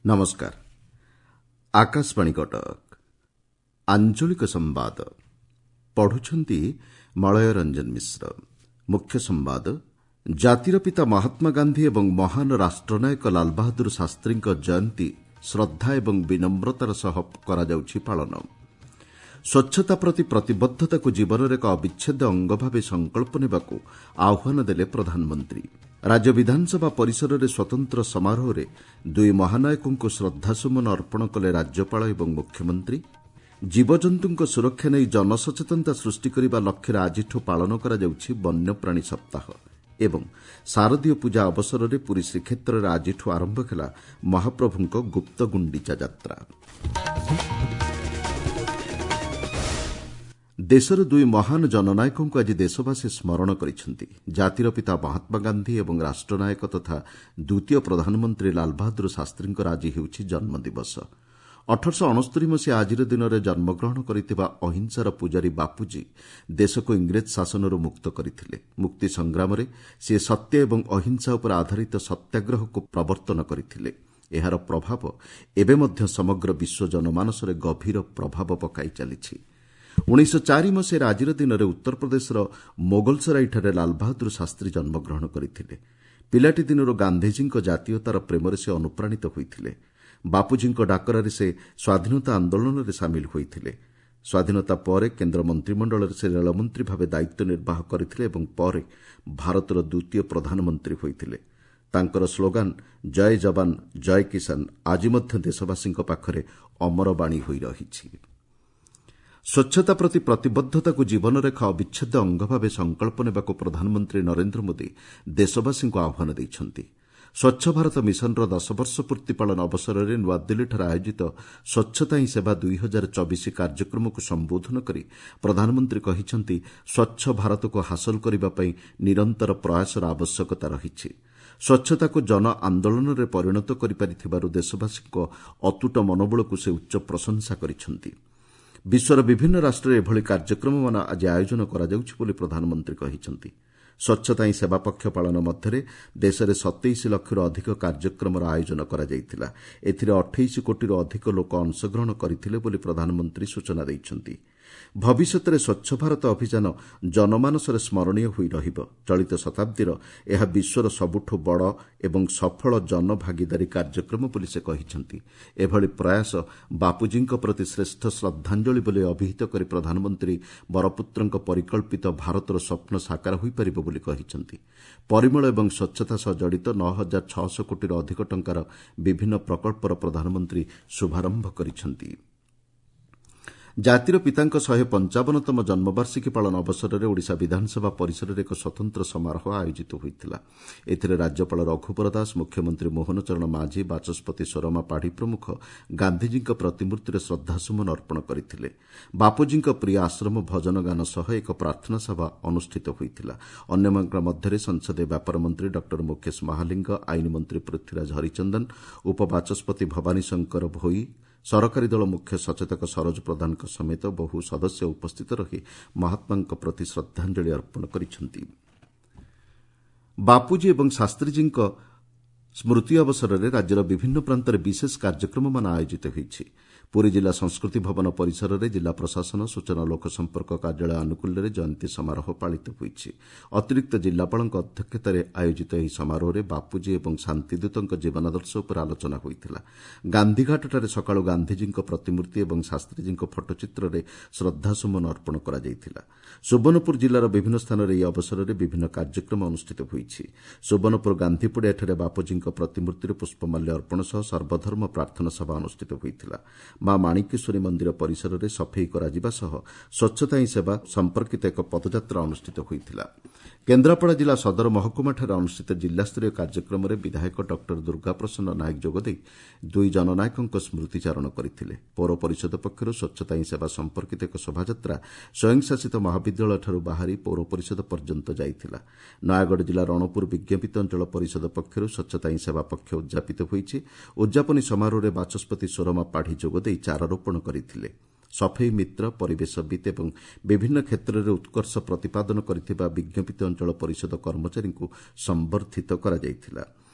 ନମସ୍କାର, ଆକାଶବାଣୀ କଟକ। ଆଞ୍ଚଳିକ ସମ୍ବାଦ ପଢୁଛନ୍ତି ମଳୟ ରଞ୍ଜନ ମିଶ୍ର। ମୁଖ୍ୟ ସମ୍ବାଦ: ଜାତିର ପିତା ମହାତ୍ମା ଗାନ୍ଧୀ ଏବଂ ମହାନ ରାଷ୍ଟ୍ରନାୟକ ଲାଲବାହାଦୁର ଶାସ୍ତ୍ରୀଙ୍କ ଜୟନ୍ତୀ ଶ୍ରଦ୍ଧା ଏବଂ ବିନମ୍ରତାର ସହ କରାଯାଉଛି ପାଳନ। ସ୍ୱଚ୍ଛତା ପ୍ରତି ପ୍ରତିବଦ୍ଧତାକୁ ଜୀବନର ଏକ ଅବିଚ୍ଛେଦ୍ୟ ଅଙ୍ଗ ଭାବେ ସଂକଳ୍ପ ନେବାକୁ ଆହ୍ୱାନ ଦେଲେ ପ୍ରଧାନମନ୍ତ୍ରୀ। ରାଜ୍ୟ ବିଧାନସଭା ପରିସରରେ ସ୍ୱତନ୍ତ୍ର ସମାରୋହରେ ଦୁଇ ମହାନାୟକଙ୍କୁ ଶ୍ରଦ୍ଧାସୁମନ ଅର୍ପଣ କଲେ ରାଜ୍ୟପାଳ ଏବଂ ମୁଖ୍ୟମନ୍ତ୍ରୀ। ଜୀବଜନ୍ତୁଙ୍କ ସୁରକ୍ଷା ନେଇ ଜନସଚେତନତା ସୃଷ୍ଟି କରିବା ଲକ୍ଷ୍ୟରେ ଆଜିଠୁ ପାଳନ କରାଯାଉଛି ବନ୍ୟପ୍ରାଣୀ ସପ୍ତାହ। ଏବଂ ଶାରଦୀୟ ପୂଜା ଅବସରରେ ପୁରୀ ଶ୍ରୀକ୍ଷେତ୍ରରେ ଆଜିଠୁ ଆରମ୍ଭ ହେଲା ମହାପ୍ରଭୁଙ୍କ ଗୁପ୍ତଗୁଣ୍ଡିଚା ଯାତ୍ରା। ଦେଶର ଦୁଇ ମହାନ ଜନନାୟକଙ୍କୁ ଆଜି ଦେଶବାସୀ ସ୍ମରଣ କରିଛନ୍ତି। ଜାତିର ପିତା ମହାତ୍ମା ଗାନ୍ଧୀ ଏବଂ ରାଷ୍ଟ୍ରନାୟକ ତଥା ଦ୍ୱିତୀୟ ପ୍ରଧାନମନ୍ତ୍ରୀ ଲାଲବାହାଦୁର ଶାସ୍ତ୍ରୀଙ୍କର ଆଜି ହେଉଛି ଜନ୍ମଦିବସ। 1869 ମସିହା ଆଜିର ଦିନରେ ଜନ୍ମଗ୍ରହଣ କରିଥିବା ଅହିଂସାର ପୂଜାରୀ ବାପୁଜୀ ଦେଶକୁ ଇଂରେଜ ଶାସନରୁ ମୁକ୍ତ କରିଥିଲେ। ମୁକ୍ତି ସଂଗ୍ରାମରେ ସେ ସତ୍ୟ ଏବଂ ଅହିଂସା ଉପରେ ଆଧାରିତ ସତ୍ୟାଗ୍ରହକୁ ପ୍ରବର୍ତ୍ତନ କରିଥିଲେ। ଏହାର ପ୍ରଭାବ ଏବେ ମଧ୍ୟ ସମଗ୍ର ବିଶ୍ୱ ଜନମାନସରେ ଗଭୀର ପ୍ରଭାବ ପକାଇ ଚାଲିଛି। 1904 ମସିହାରେ ଆଜିର ଦିନରେ ଉତ୍ତରପ୍ରଦେଶର ମୋଗଲସରାଇଠାରେ ଲାଲବାହାଦୁର ଶାସ୍ତ୍ରୀ ଜନ୍ମଗ୍ରହଣ କରିଥିଲେ। ପିଲାଟି ଦିନରୁ ଗାନ୍ଧିଜୀଙ୍କ ଜାତୀୟତାର ପ୍ରେମରେ ସେ ଅନୁପ୍ରାଣିତ ହୋଇଥିଲେ। ବାପୁଜୀଙ୍କ ଡାକରାରେ ସେ ସ୍ୱାଧୀନତା ଆନ୍ଦୋଳନରେ ସାମିଲ ହୋଇଥିଲେ। ସ୍ୱାଧୀନତା ପରେ କେନ୍ଦ୍ର ମନ୍ତ୍ରିମଣ୍ଡଳରେ ସେ ରେଳମନ୍ତ୍ରୀ ଭାବେ ଦାୟିତ୍ୱ ନିର୍ବାହ କରିଥିଲେ ଏବଂ ପରେ ଭାରତର ଦ୍ୱିତୀୟ ପ୍ରଧାନମନ୍ତ୍ରୀ ହୋଇଥିଲେ। ତାଙ୍କର ସ୍ଲୋଗାନ ଜୟ ଯବାନ ଜୟ କିଷାନ ଆଜି ମଧ୍ୟ ଦେଶବାସୀଙ୍କ ପାଖରେ ଅମରବାଣୀ ହୋଇ ରହିଛି। ସ୍ୱଚ୍ଛତା ପ୍ରତି ପ୍ରତିବଦ୍ଧତାକୁ ଜୀବନର ଏକ ଅବିଚ୍ଛେଦ୍ୟ ଅଙ୍ଗ ଭାବେ ସଂକଳ୍ପ ନେବାକୁ ପ୍ରଧାନମନ୍ତ୍ରୀ ନରେନ୍ଦ୍ର ମୋଦି ଦେଶବାସୀଙ୍କୁ ଆହ୍ୱାନ ଦେଇଛନ୍ତି। ସ୍ୱଚ୍ଛ ଭାରତ ମିଶନର 10 ବର୍ଷ ପୂର୍ତ୍ତି ପାଳନ ଅବସରରେ ନୂଆଦିଲ୍ଲୀଠାରେ ଆୟୋଜିତ ସ୍ୱଚ୍ଛତା ହିଁ ସେବା 2024 କାର୍ଯ୍ୟକ୍ରମକୁ ସମ୍ବୋଧନ କରି ପ୍ରଧାନମନ୍ତ୍ରୀ କହିଛନ୍ତି, ସ୍ୱଚ୍ଛ ଭାରତକୁ ହାସଲ କରିବା ପାଇଁ ନିରନ୍ତର ପ୍ରୟାସର ଆବଶ୍ୟକତା ରହିଛି। ସ୍ୱଚ୍ଛତାକୁ ଜନ ଆନ୍ଦୋଳନରେ ପରିଣତ କରିପାରିଥିବାରୁ ଦେଶବାସୀଙ୍କ ଅତୁଟ ମନୋବଳକୁ ସେ ଉଚ୍ଚ ପ୍ରଶଂସା କରିଛନ୍ତି। ବିଶ୍ୱର ବିଭିନ୍ନ ରାଷ୍ଟ୍ରରେ ଏଭଳି କାର୍ଯ୍ୟକ୍ରମମାନ ଆଜି ଆୟୋଜନ କରାଯାଉଛି ବୋଲି ପ୍ରଧାନମନ୍ତ୍ରୀ କହିଛନ୍ତି। ସ୍ୱଚ୍ଛତା ହିଁ ସେବା ପକ୍ଷ ପାଳନ ମଧ୍ୟରେ ଦେଶରେ 27 ଲକ୍ଷରୁ ଅଧିକ କାର୍ଯ୍ୟକ୍ରମର ଆୟୋଜନ କରାଯାଇଥିଲା। ଏଥିରେ 28 କୋଟିରୁ ଅଧିକ ଲୋକ ଅଂଶଗ୍ରହଣ କରିଥିଲେ ବୋଲି ପ୍ରଧାନମନ୍ତ୍ରୀ ସୂଚନା ଦେଇଛନ୍ତି। ଭବିଷ୍ୟତରେ ସ୍ୱଚ୍ଛ ଭାରତ ଅଭିଯାନ ଜନମାନସରେ ସ୍ମରଣୀୟ ହୋଇ ରହିବ। ଚଳିତ ଶତାବ୍ଦୀର ଏହା ବିଶ୍ୱର ସବୁଠୁ ବଡ଼ ଏବଂ ସଫଳ ଜନଭାଗିଦାରୀ କାର୍ଯ୍ୟକ୍ରମ ବୋଲି ସେ କହିଛନ୍ତି। ଏଭଳି ପ୍ରୟାସ ବାପୁଜୀଙ୍କ ପ୍ରତି ଶ୍ରେଷ୍ଠ ଶ୍ରଦ୍ଧାଞ୍ଜଳି ବୋଲି ଅଭିହିତ କରି ପ୍ରଧାନମନ୍ତ୍ରୀ ବରପୁତ୍ରଙ୍କ ପରିକଳ୍ପିତ ଭାରତର ସ୍ୱପ୍ନ ସାକାର ହୋଇପାରିବ ବୋଲି କହିଛନ୍ତି। ପରିମଳ ଏବଂ ସ୍ୱଚ୍ଛତା ସହ ଜଡ଼ିତ 9600 କୋଟିରୁ ଅଧିକ ଟଙ୍କାର ବିଭିନ୍ନ ପ୍ରକଳ୍ପର ପ୍ରଧାନମନ୍ତ୍ରୀ ଶୁଭାରମ୍ଭ କରିଛନ୍ତି। ଜାତିର ପିତାଙ୍କ 155ତମ ଜନ୍ମବାର୍ଷିକୀ ପାଳନ ଅବସରରେ ଓଡ଼ିଶା ବିଧାନସଭା ପରିସରରେ ଏକ ସ୍ୱତନ୍ତ୍ର ସମାରୋହ ଆୟୋଜିତ ହୋଇଥିଲା। ଏଥିରେ ରାଜ୍ୟପାଳ ରଘୁବର ଦାସ, ମୁଖ୍ୟମନ୍ତ୍ରୀ ମୋହନ ଚରଣ ମାଝୀ, ବାଚସ୍ପତି ସୋରମା ପାଢ଼ୀ ପ୍ରମୁଖ ଗାନ୍ଧିଜୀଙ୍କ ପ୍ରତିମୂର୍ତ୍ତିରେ ଶ୍ରଦ୍ଧାସୁମନ ଅର୍ପଣ କରିଥିଲେ। ବାପୁଜୀଙ୍କ ପ୍ରିୟ ଆଶ୍ରମ ଭଜନ ଗାନ ସହ ଏକ ପ୍ରାର୍ଥନା ସଭା ଅନୁଷ୍ଠିତ ହୋଇଥିଲା। ଅନ୍ୟମାନଙ୍କ ମଧ୍ୟରେ ସଂସଦୀୟ ବ୍ୟାପାର ମନ୍ତ୍ରୀ ଡକ୍ଟର ମୁକେଶ ମହାଲିଙ୍ଗ, ଆଇନ ମନ୍ତ୍ରୀ ପୃଥ୍ୱୀରାଜ ହରିଚନ୍ଦନ, ଉପବାଚସ୍ପତି ଭବାନୀ ଶଙ୍କର ଭୋଇ, ସରକାରୀ ଦଳ ମୁଖ୍ୟ ସଚେତକ ସରୋଜ ପ୍ରଧାନଙ୍କ ସମେତ ବହୁ ସଦସ୍ୟ ଉପସ୍ଥିତ ରହି ମହାତ୍ମାଙ୍କ ପ୍ରତି ଶ୍ରଦ୍ଧାଞ୍ଜଳି ଅର୍ପଣ କରିଛନ୍ତି। ବାପୁଜୀ ଏବଂ ଶାସ୍ତ୍ରୀଜୀଙ୍କ ସ୍ମୃତି ଅବସରରେ ରାଜ୍ୟର ବିଭିନ୍ନ ପ୍ରାନ୍ତରେ ବିଶେଷ କାର୍ଯ୍ୟକ୍ରମମାନ ଆୟୋଜିତ ହୋଇଛି। ପୁରୀ ଜିଲ୍ଲା ସଂସ୍କୃତି ଭବନ ପରିସରରେ ଜିଲ୍ଲା ପ୍ରଶାସନ, ସୂଚନା ଓ ଲୋକସମ୍ପର୍କ କାର୍ଯ୍ୟାଳୟ ଆନୁକୂଲ୍ୟରେ ଜୟନ୍ତୀ ସମାରୋହ ପାଳିତ ହୋଇଛି। ଅତିରିକ୍ତ ଜିଲ୍ଲାପାଳଙ୍କ ଅଧ୍ୟକ୍ଷତାରେ ଆୟୋଜିତ ଏହି ସମାରୋହରେ ବାପୁଜୀ ଏବଂ ଶାନ୍ତିଦୂତଙ୍କ ଜୀବନାଦର୍ଶ ଉପରେ ଆଲୋଚନା ହୋଇଥିଲା। ଗାନ୍ଧୀଘାଟଠାରେ ସକାଳୁ ଗାନ୍ଧିଜୀଙ୍କ ପ୍ରତିମୂର୍ତ୍ତି ଏବଂ ଶାସ୍ତ୍ରୀଜୀଙ୍କ ଫଟୋଚିତ୍ରରେ ଶ୍ରଦ୍ଧାସୁମନ ଅର୍ପଣ କରାଯାଇଥିଲା। ସୁବର୍ଣ୍ଣପୁର ଜିଲ୍ଲାର ବିଭିନ୍ନ ସ୍ଥାନରେ ଏହି ଅବସରରେ ବିଭିନ୍ନ କାର୍ଯ୍ୟକ୍ରମ ଅନୁଷ୍ଠିତ ହୋଇଛି। ସୁବର୍ଣ୍ଣପୁର ଗାନ୍ଧୀପଡ଼ିଆଠାରେ ବାପୁଜୀଙ୍କ ପ୍ରତିମୂର୍ତ୍ତିରେ ପୁଷ୍ପମାଲ୍ୟ ଅର୍ପଣ ସହ ସର୍ବଧର୍ମ ପ୍ରାର୍ଥନା ସଭା ଅନୁଷ୍ଠିତ ହୋଇଥିଲା। ମା ମାଣିକେଶ୍ୱରୀ ମନ୍ଦିର ପରିସରରେ ସଫେଇ କରାଯିବା ସହ ସ୍ୱଚ୍ଛତା ହିଁ ସେବା ସମ୍ପର୍କିତ ଏକ ପଦଯାତ୍ରା ଅନୁଷ୍ଠିତ ହୋଇଥିଲା। କେନ୍ଦ୍ରାପଡ଼ା ଜିଲ୍ଲା ସଦର ମହକୁମାଠାରେ ଅନୁଷ୍ଠିତ ଜିଲ୍ଲାସ୍ତରୀୟ କାର୍ଯ୍ୟକ୍ରମରେ ବିଧାୟକ ଡକ୍ଟର ଦୁର୍ଗାପ୍ରସନ୍ନ ନାୟକ ଯୋଗଦେଇ ଦୁଇ ଜନନାୟକଙ୍କ ସ୍ମୃତିଚାରଣ କରିଥିଲେ। ପୌର ପରିଷଦ ପକ୍ଷରୁ ସ୍ୱଚ୍ଛତା ହିଁ ସେବା ସମ୍ପର୍କିତ ଏକ ଶୋଭାଯାତ୍ରା ସ୍ୱୟଂଶାସିତ ମହାବିଦ୍ୟାଳୟଠାରୁ ବାହାରି ପୌର ପରିଷଦ ପର୍ଯ୍ୟନ୍ତ ଯାଇଥିଲା। ନୟାଗଡ଼ ଜିଲ୍ଲା ରଣପୁର ବିଜ୍ଞାପିତ ଅଞ୍ଚଳ ପରିଷଦ ପକ୍ଷରୁ ସ୍ୱଚ୍ଛତା ହିଁ ସେବା ପକ୍ଷ ଉଦ୍ଯାପିତ ହୋଇଛି। ଉଦ୍ଯାପନୀ ସମାରୋହରେ ବାଚସ୍ପତି ସୋରମା ପାଢ଼ୀ ଯୋଗଦେଇ ଚାରାରୋପଣ କରିଥିଲେ। ସଫେଇ ମିତ୍ର, ପରିବେଶବିତ୍ ଏବଂ ବିଭିନ୍ନ କ୍ଷେତ୍ରରେ ଉତ୍କର୍ଷ ପ୍ରତିପାଦନ କରିଥିବା ବିଜ୍ଞପିତ ଅଞ୍ଚଳ ପରିଷଦ କର୍ମଚାରୀଙ୍କୁ ସମ୍ବର୍ଦ୍ଧିତ କରାଯାଇଥିଲା।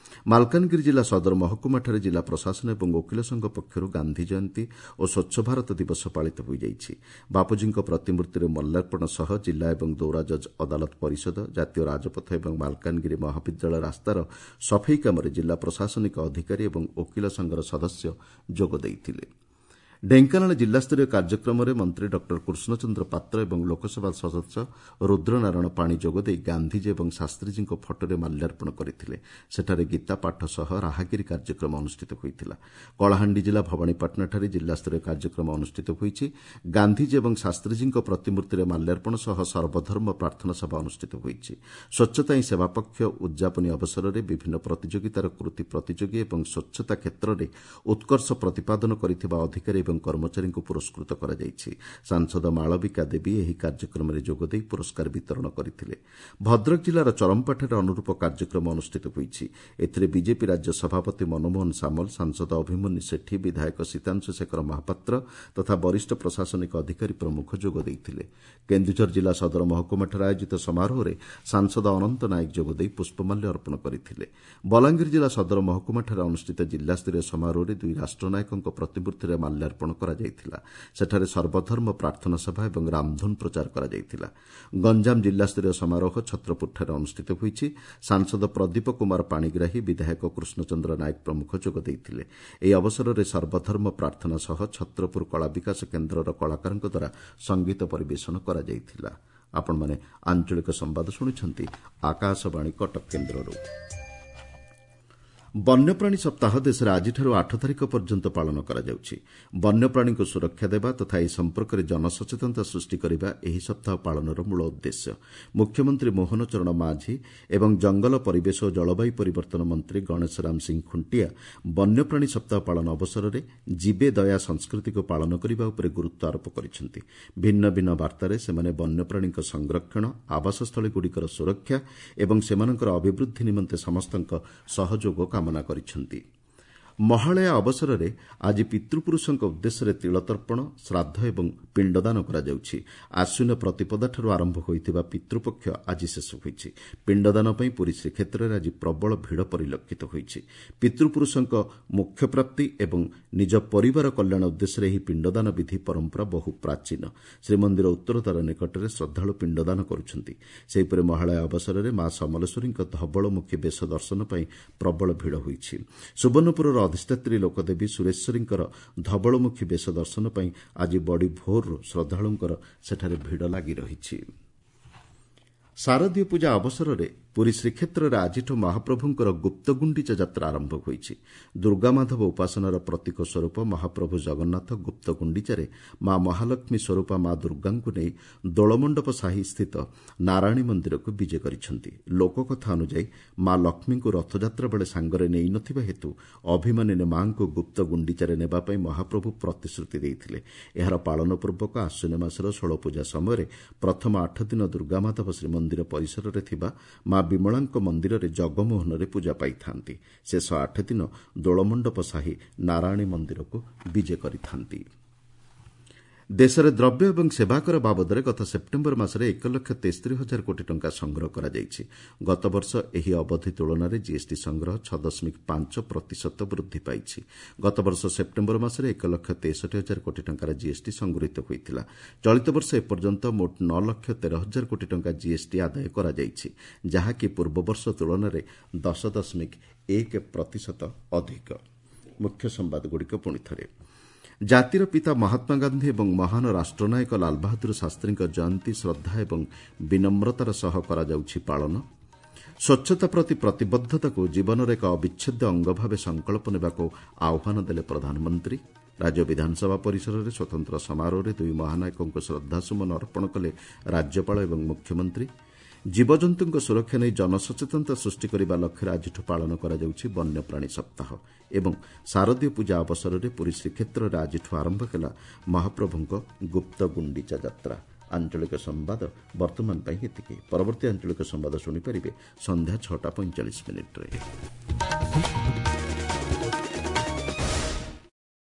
ମାଲକାନଗିରି ଜିଲ୍ଲା ସଦର ମହକୁମାଠାରେ ଜିଲ୍ଲା ପ୍ରଶାସନ ଏବଂ ଓକିଲ ସଂଘ ପକ୍ଷରୁ ଗାନ୍ଧୀ ଜୟନ୍ତୀ ଓ ସ୍ୱଚ୍ଛ ଭାରତ ଦିବସ ପାଳିତ ହୋଇଯାଇଛି। ବାପୁଜୀଙ୍କ ପ୍ରତିମୂର୍ତ୍ତିରେ ମାଲ୍ୟାର୍ପଣ ସହ ଜିଲ୍ଲା ଏବଂ ଦୌରା ଜଜ୍ ଅଦାଲତ ପରିଷଦ, ଜାତୀୟ ରାଜପଥ ଏବଂ ମାଲକାନଗିରି ମହାବିଦ୍ୟାଳୟ ରାସ୍ତାର ସଫେଇ କାମରେ ଜିଲ୍ଲା ପ୍ରଶାସନିକ ଅଧିକାରୀ ଏବଂ ଓକିଲ ସଂଘର ସଦସ୍ୟ ଯୋଗ ଦେଇଥିଲେ। ଢେଙ୍କାନାଳ ଜିଲ୍ଲାସ୍ତରୀୟ କାର୍ଯ୍ୟକ୍ରମରେ ମନ୍ତ୍ରୀ ଡକ୍ଟର କୃଷ୍ଣଚନ୍ଦ୍ର ପାତ୍ର ଏବଂ ଲୋକସଭା ସଦସ୍ୟ ରୁଦ୍ରନାରାୟଣ ପାଣି ଯୋଗଦେଇ ଗାନ୍ଧିଜୀ ଏବଂ ଶାସ୍ତ୍ରୀଜୀଙ୍କ ଫଟୋରେ ମାଲ୍ୟାର୍ପଣ କରିଥିଲେ। ସେଠାରେ ଗୀତା ପାଠ ସହ ରାହାଗିରି କାର୍ଯ୍ୟକ୍ରମ ଅନୁଷ୍ଠିତ ହୋଇଥିଲା। କଳାହାଣ୍ଡି ଜିଲ୍ଲା ଭବାନୀପାଟଣାଠାରେ ଜିଲ୍ଲାସ୍ତରୀୟ କାର୍ଯ୍ୟକ୍ରମ ଅନୁଷ୍ଠିତ ହୋଇଛି। ଗାନ୍ଧିଜୀ ଏବଂ ଶାସ୍ତ୍ରୀଜୀଙ୍କ ପ୍ରତିମୂର୍ତ୍ତିରେ ମାଲ୍ୟାର୍ପଣ ସହ ସର୍ବଧର୍ମ ପ୍ରାର୍ଥନା ସଭା ଅନୁଷ୍ଠିତ ହୋଇଛି। ସ୍ୱଚ୍ଛତା ହିଁ ସେବା ପକ୍ଷ ଉଦ୍ଯାପନୀ ଅବସରରେ ବିଭିନ୍ନ ପ୍ରତିଯୋଗିତାର କୃତି ପ୍ରତିଯୋଗୀ ଏବଂ ସ୍ୱଚ୍ଛତା କ୍ଷେତ୍ରରେ ଉତ୍କର୍ଷ ପ୍ରତିପାଦନ କରିଥିବା ଅଧିକାରୀ ଏବଂ କର୍ମଚାରୀଙ୍କୁ ପୁରସ୍କୃତ କରାଯାଇଛି। ସାଂସଦ ମାଳବିକା ଦେବୀ ଏହି କାର୍ଯ୍ୟକ୍ରମରେ ଯୋଗଦେଇ ପୁରସ୍କାର ବିତରଣ କରିଥିଲେ। ଭଦ୍ରକ ଜିଲ୍ଲାର ଚରମ୍ପାଠାରେ ଅନୁରୂପ କାର୍ଯ୍ୟକ୍ରମ ଅନୁଷ୍ଠିତ ହୋଇଛି। ଏଥିରେ ବିଜେପି ରାଜ୍ୟ ସଭାପତି ମନମୋହନ ସାମଲ, ସାଂସଦ ଅଭିମନ୍ୟୁ ସେଠୀ, ବିଧାୟକ ସୀତାଂଶୁ ଶେଖର ମହାପାତ୍ର ତଥା ବରିଷ୍ଠ ପ୍ରଶାସନିକ ଅଧିକାରୀ ପ୍ରମୁଖ ଯୋଗ ଦେଇଥିଲେ। କେନ୍ଦୁଝର ଜିଲ୍ଲା ସଦର ମହକୁମାଠାରେ ଆୟୋଜିତ ସମାରୋହରେ ସାଂସଦ ଅନନ୍ତ ନାୟକ ଯୋଗଦେଇ ପୁଷ୍ପମାଲ୍ୟ ଅର୍ପଣ କରିଥିଲେ। ବଲାଙ୍ଗୀର ଜିଲ୍ଲା ସଦର ମହକୁମାଠାରେ ଅନୁଷ୍ଠିତ ଜିଲ୍ଲାସ୍ତରୀୟ ସମାରୋହରେ ଦୁଇ ରାଷ୍ଟ୍ରନାୟକଙ୍କ ପ୍ରତିମୂର୍ତ୍ତିରେ ମାଲ୍ୟାର୍ପଣ କରାଯାଇଥିଲା। ସେଠାରେ ସର୍ବଧର୍ମ ପ୍ରାର୍ଥନା ସଭା ଏବଂ ରାମଧୁନ ପ୍ରଚାର କରାଯାଇଥିଲା। ଗଞ୍ଜାମ ଜିଲ୍ଲାସ୍ତରୀୟ ସମାରୋହ ଛତ୍ରପୁରଠାରେ ଅନୁଷ୍ଠିତ ହୋଇଛି। ସାଂସଦ ପ୍ରଦୀପ କୁମାର ପାଣିଗ୍ରାହୀ, ବିଧାୟକ କୃଷ୍ଣଚନ୍ଦ୍ର ନାୟକ ପ୍ରମୁଖ ଯୋଗ ଦେଇଥିଲେ। ଏହି ଅବସରରେ ସର୍ବଧର୍ମ ପ୍ରାର୍ଥନା ସହ ଛତ୍ରପୁର କଳା ବିକାଶ କେନ୍ଦ୍ରର କଳାକାରଙ୍କ ଦ୍ୱାରା ସଙ୍ଗୀତ ପରିବେଷଣ କରାଯାଇଥିଲା। ଆପଣମାନେ ଆଞ୍ଚଳିକ ସମ୍ବାଦ ଶୁଣୁଛନ୍ତି ଆକାଶବାଣୀ କଟକ କେନ୍ଦ୍ରରୁ। ବନ୍ୟପ୍ରାଣୀ ସପ୍ତାହ ଦେଶରେ ଆଜିଠାରୁ 8 ତାରିଖ ପର୍ଯ୍ୟନ୍ତ ପାଳନ କରାଯାଉଛି। ବନ୍ୟପ୍ରାଣୀଙ୍କୁ ସୁରକ୍ଷା ଦେବା ତଥା ଏ ସମ୍ପର୍କରେ ଜନସଚେତନତା ସୃଷ୍ଟି କରିବା ଏହି ସପ୍ତାହ ପାଳନର ମୂଳ ଉଦ୍ଦେଶ୍ୟ। ମୁଖ୍ୟମନ୍ତ୍ରୀ ମୋହନ ଚରଣ ମାଝୀ ଏବଂ ଜଙ୍ଗଲ, ପରିବେଶ ଓ ଜଳବାୟୁ ପରିବର୍ତ୍ତନ ମନ୍ତ୍ରୀ ଗଣେଶରାମ ସିଂ ଖୁଣ୍ଟିଆ ବନ୍ୟପ୍ରାଣୀ ସପ୍ତାହ ପାଳନ ଅବସରରେ ଜୀବେ ଦୟା ସଂସ୍କୃତିକୁ ପାଳନ କରିବା ଉପରେ ଗୁରୁତ୍ୱ ଆରୋପ କରିଛନ୍ତି। ଭିନ୍ନ ଭିନ୍ନ ବାର୍ତ୍ତାରେ ସେମାନେ ବନ୍ୟପ୍ରାଣୀଙ୍କ ସଂରକ୍ଷଣ, ଆବାସସ୍ଥଳୀଗୁଡ଼ିକର ସୁରକ୍ଷା ଏବଂ ସେମାନଙ୍କର ଅଭିବୃଦ୍ଧି ନିମନ୍ତେ ସମସ୍ତଙ୍କ ସହଯୋଗ କାମନା କରିଛନ୍ତି। ମହାଳୟା ଅବସରରେ ଆଜି ପିତୃପୁରୁଷଙ୍କ ଉଦ୍ଦେଶ୍ୟରେ ତିଳତର୍ପଣ, ଶ୍ରାଦ୍ଧ ଏବଂ ପିଣ୍ଡଦାନ କରାଯାଉଛି। ଆଶ୍ୱିନ ପ୍ରତିପଦାଠାରୁ ଆରମ୍ଭ ହୋଇଥିବା ପିତୃପକ୍ଷ ଆଜି ଶେଷ ହୋଇଛି। ପିଣ୍ଡଦାନ ପାଇଁ ପୁରୀ ଶ୍ରୀକ୍ଷେତ୍ରରେ ଆଜି ପ୍ରବଳ ଭିଡ଼ ପରିଲକ୍ଷିତ ହୋଇଛି। ପିତୃପୁରୁଷଙ୍କ ମୋକ୍ଷପ୍ରାପ୍ତି ଏବଂ ନିଜ ପରିବାର କଲ୍ୟାଣ ଉଦ୍ଦେଶ୍ୟରେ ଏହି ପିଣ୍ଡଦାନ ବିଧି ପରମ୍ପରା ବହୁ ପ୍ରାଚୀନ। ଶ୍ରୀମନ୍ଦିର ଉତ୍ତରଦ୍ୱାର ନିକଟରେ ଶ୍ରଦ୍ଧାଳୁ ପିଣ୍ଡଦାନ କରୁଛନ୍ତି। ସେହିପରି ମହାଳୟା ଅବସରରେ ମା ସମଲେଶ୍ୱରୀଙ୍କ ଧବଳମୁଖୀ ବେଶ ଦର୍ଶନ ପାଇଁ ପ୍ରବଳ ଭିଡ଼ ହୋଇଛି। ସୁବର୍ଣ୍ଣପୁରର ଅଧିଷ୍ଠାତ୍ରୀ ଲୋକଦେବୀ ସୁରେଶ୍ୱରୀଙ୍କର ଧବଳମୁଖୀ ବେଶ ଦର୍ଶନ ପାଇଁ ଆଜି ବଡ଼ି ଭୋରରୁ ଶ୍ରଦ୍ଧାଳୁଙ୍କର ସେଠାରେ ଭିଡ଼ ଲାଗି ରହିଛି। ଶାରଦୀୟ ପୂଜା ଅବସରରେ ପୁରୀ ଶ୍ରୀକ୍ଷେତ୍ରରେ ଆଜିଠୁ ମହାପ୍ରଭୁଙ୍କର ଗୁପ୍ତଗୁଣ୍ଡିଚା ଯାତ୍ରା ଆରମ୍ଭ ହୋଇଛି। ଦୁର୍ଗାମାଧବ ଉପାସନାର ପ୍ରତୀକ ସ୍ୱରୂପ ମହାପ୍ରଭୁ ଜଗନ୍ନାଥ ଗୁପ୍ତଗୁଣ୍ଡିଚାରେ ମା ମହାଲକ୍ଷ୍ମୀ ସ୍ୱରୂପା ମା ଦୁର୍ଗାଙ୍କୁ ନେଇ ଦୋଳମଣ୍ଡପ ସାହି ସ୍ଥିତ ନାରାୟଣୀ ମନ୍ଦିରକୁ ବିଜେ କରିଛନ୍ତି। ଲୋକକଥା ଅନୁଯାୟୀ ମା ଲକ୍ଷ୍ମୀଙ୍କୁ ରଥଯାତ୍ରା ବେଳେ ସାଙ୍ଗରେ ନେଇନଥିବା ହେତୁ ଅଭିମାନିନୀ ମାଙ୍କୁ ଗୁପ୍ତଗୁଣ୍ଡିଚାରେ ନେବା ପାଇଁ ମହାପ୍ରଭୁ ପ୍ରତିଶ୍ରୁତି ଦେଇଥିଲେ। ଏହାର ପାଳନ ପୂର୍ବକ ଆଶ୍ୱିନ ମାସର ଷୋଳପୂଜା ସମୟରେ ପ୍ରଥମ 8 ଦିନ ଦୁର୍ଗାମାଧବ ଶ୍ରୀମନ୍ଦିର ପରିସରରେ ଥିବା ମା ବିମଳାଙ୍କ ମନ୍ଦିରରେ ଜଗମୋହନରେ ପୂଜା ପାଇଥାନ୍ତି। ଶେଷ 8 ଦିନ ଦୋଳମଣ୍ଡପ ସାହି ନାରାୟଣୀ ମନ୍ଦିରକୁ ବିଜେ କରିଥାନ୍ତି। ଦେଶରେ ଦ୍ରବ୍ୟ ଏବଂ ସେବାକର ବାବଦରେ ଗତ ସେପ୍ଟେମ୍ବର ମାସରେ 1,73,000 କୋଟି ଟଙ୍କା ସଂଗ୍ରହ କରାଯାଇଛି। ଗତବର୍ଷ ଏହି ଅବଧି ତୁଳନାରେ ଜିଏସ୍ଟି ସଂଗ୍ରହ 6.5% ବୃଦ୍ଧି ପାଇଛି। ଗତବର୍ଷ ସେପ୍ଟେମ୍ବର ମାସରେ 1,63,000 କୋଟି ଟଙ୍କାର ଜିଏସ୍ଟି ସଂଗୃହୀତ ହୋଇଥିଲା। ଚଳିତ ବର୍ଷ ଏପର୍ଯ୍ୟନ୍ତ ମୋଟ 9,13,000 କୋଟି ଟଙ୍କା ଜିଏସ୍ଟି ଆଦାୟ କରାଯାଇଛି, ଯାହାକି ପୂର୍ବବର୍ଷ ତୁଳନାରେ 10.1% ଅଧିକ। ମୁଖ୍ୟ ସମ୍ବାଦଗୁଡ଼ିକ ପୁଣିଥରେ। ଜାତିର ପିତା ମହାତ୍ମା ଗାନ୍ଧୀ ଏବଂ ମହାନ ରାଷ୍ଟ୍ରନାୟକ ଲାଲବାହାଦୁର ଶାସ୍ତ୍ରୀଙ୍କ ଜୟନ୍ତୀ ଶ୍ରଦ୍ଧା ଏବଂ ବିନମ୍ରତାର ସହ କରାଯାଉଛି ପାଳନ। ସ୍ୱଚ୍ଛତା ପ୍ରତି ପ୍ରତିବଦ୍ଧତାକୁ ଜୀବନର ଏକ ଅବିଚ୍ଛେଦ୍ୟ ଅଙ୍ଗ ଭାବେ ସଂକଳ୍ପ ନେବାକୁ ଆହ୍ୱାନ ଦେଲେ ପ୍ରଧାନମନ୍ତ୍ରୀ। ରାଜ୍ୟ ବିଧାନସଭା ପରିସରରେ ସ୍ୱତନ୍ତ୍ର ସମାରୋହରେ ଦୁଇ ମହାନାୟକଙ୍କୁ ଶ୍ରଦ୍ଧାସୁମନ ଅର୍ପଣ କଲେ ରାଜ୍ୟପାଳ ଏବଂ ମୁଖ୍ୟମନ୍ତ୍ରୀ। ଜୀବଜନ୍ତୁଙ୍କ ସୁରକ୍ଷା ନେଇ ଜନସଚେତନତା ସୃଷ୍ଟି କରିବା ଲକ୍ଷ୍ୟରେ ଆଜିଠୁ ପାଳନ କରାଯାଉଛି ବନ୍ୟପ୍ରାଣୀ ସପ୍ତାହ। ଏବଂ ଶାରଦୀୟ ପୂଜା ଅବସରରେ ପୁରୀ ଶ୍ରୀକ୍ଷେତ୍ରରେ ଆଜିଠୁ ଆରମ୍ଭ ହେଲା ମହାପ୍ରଭୁଙ୍କ ଗୁପ୍ତ ଗୁଣ୍ଡିଚା ଯାତ୍ରା। ଆଞ୍ଚଳିକ ସମ୍ବାଦ ବର୍ତ୍ତମାନ ପାଇଁ ଏତିକି। ପରବର୍ତ୍ତୀ ଆଞ୍ଚଳିକ ସମ୍ବାଦ ଶୁଣିପାରିବେ ସନ୍ଧ୍ୟା 6:45।